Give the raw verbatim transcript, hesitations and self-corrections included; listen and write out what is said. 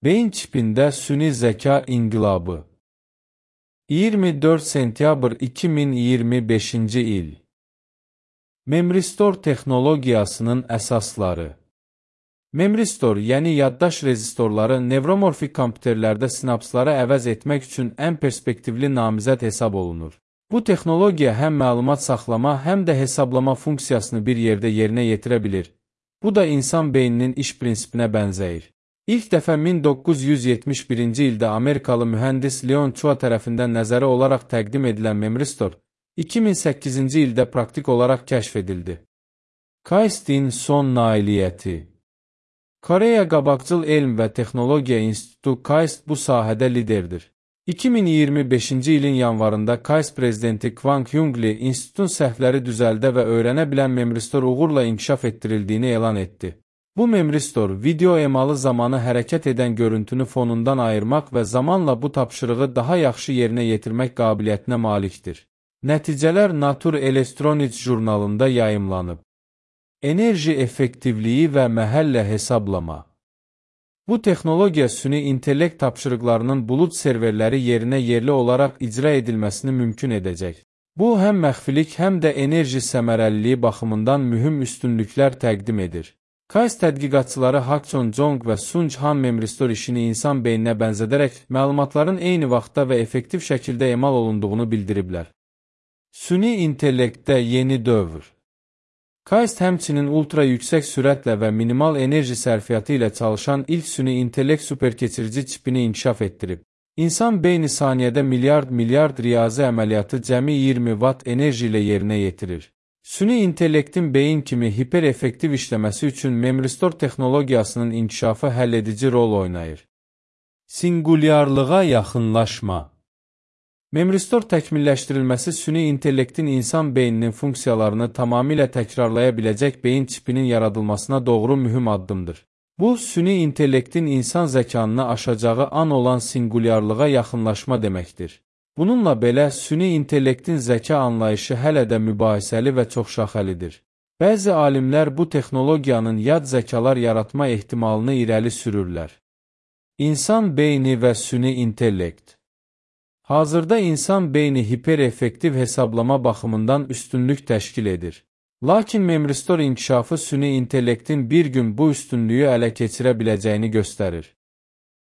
Beyin çipində süni zəka inqilabı. iyirmi dörd sentyabr iki min iyirmi beşinci il. Memristor texnologiyasının əsasları. Memristor, yəni yaddaş rezistorları nevromorfik kompüterlərdə sinapsları əvəz etmək üçün ən perspektivli namizəd hesab olunur. Bu texnologiya həm məlumat saxlama, həm də hesablama funksiyasını bir yerdə yerinə yetirə bilir. Bu da insan beyninin iş prinsipinə bənzəyir. İlk dəfə min doqquz yüz yetmiş birinci ildə Amerikalı mühəndis Leon Chua tərəfindən nəzəri olaraq təqdim edilən memristor, iki min səkkizinci ildə praktik olaraq kəşf edildi. KAIST-in son nailiyyəti. Koreya Qabaqcıl Elm və Texnologiya İnstitutu KAIST bu sahədə liderdir. iki min iyirmi beşinci ilin yanvarında KAIST prezidenti Kwang Hyung-Lee institutun səhvləri düzəldə və öyrənə bilən memristor uğurla inkişaf etdirildiyini elan etdi. Bu memristor, video emalı zamanı hərəkət edən görüntünü fonundan ayırmaq və zamanla bu tapşırığı daha yaxşı yerinə yetirmək qabiliyyətinə malikdir. Nəticələr Nature Electronics jurnalında yayımlanıb. Enerji effektivliyi və məhəllə hesablama. Bu texnologiya süni intellekt tapşırıqlarının bulud serverləri yerinə yerli olaraq icra edilməsini mümkün edəcək. Bu, həm məxfilik, həm də enerji səmərəliliyi baxımından mühüm üstünlüklər təqdim edir. KAIST tədqiqatçıları Hak Chon Jong və Sunj Han memristor işini insan beyninə bənzədərək məlumatların eyni vaxtda və effektiv şəkildə emal olunduğunu bildiriblər. Süni intellektdə yeni dövr. KAIST həmçinin ultra yüksək sürətlə və minimal enerji sərfiyyatı ilə çalışan ilk süni intellekt superkeçirici çipini inkişaf etdirib. İnsan beyni saniyədə milyard milyard riyazi əməliyyatı cəmi iyirmi watt enerji ilə yerinə yetirir. Süni intellektin beyin kimi hipereffektiv işləməsi üçün memristor texnologiyasının inkişafı həlledici rol oynayır. Singulyarlığa yaxınlaşma. Memristor təkmilləşdirilməsi süni intellektin insan beyninin funksiyalarını tamamilə təkrarlaya biləcək beyin çipinin yaradılmasına doğru mühüm addımdır. Bu, süni intellektin insan zəkanını aşacağı an olan singulyarlığa yaxınlaşma deməkdir. Bununla belə, süni intellektin zəka anlayışı hələ də mübahisəli və çoxşaxəlidir. Bəzi alimlər bu texnologiyanın yad zəkalar yaratma ehtimalını irəli sürürlər. İnsan beyni və süni intellekt. Hazırda insan beyni hipereffektiv hesablama baxımından üstünlük təşkil edir. Lakin memristor inkişafı süni intellektin bir gün bu üstünlüyü ələ keçirə biləcəyini göstərir.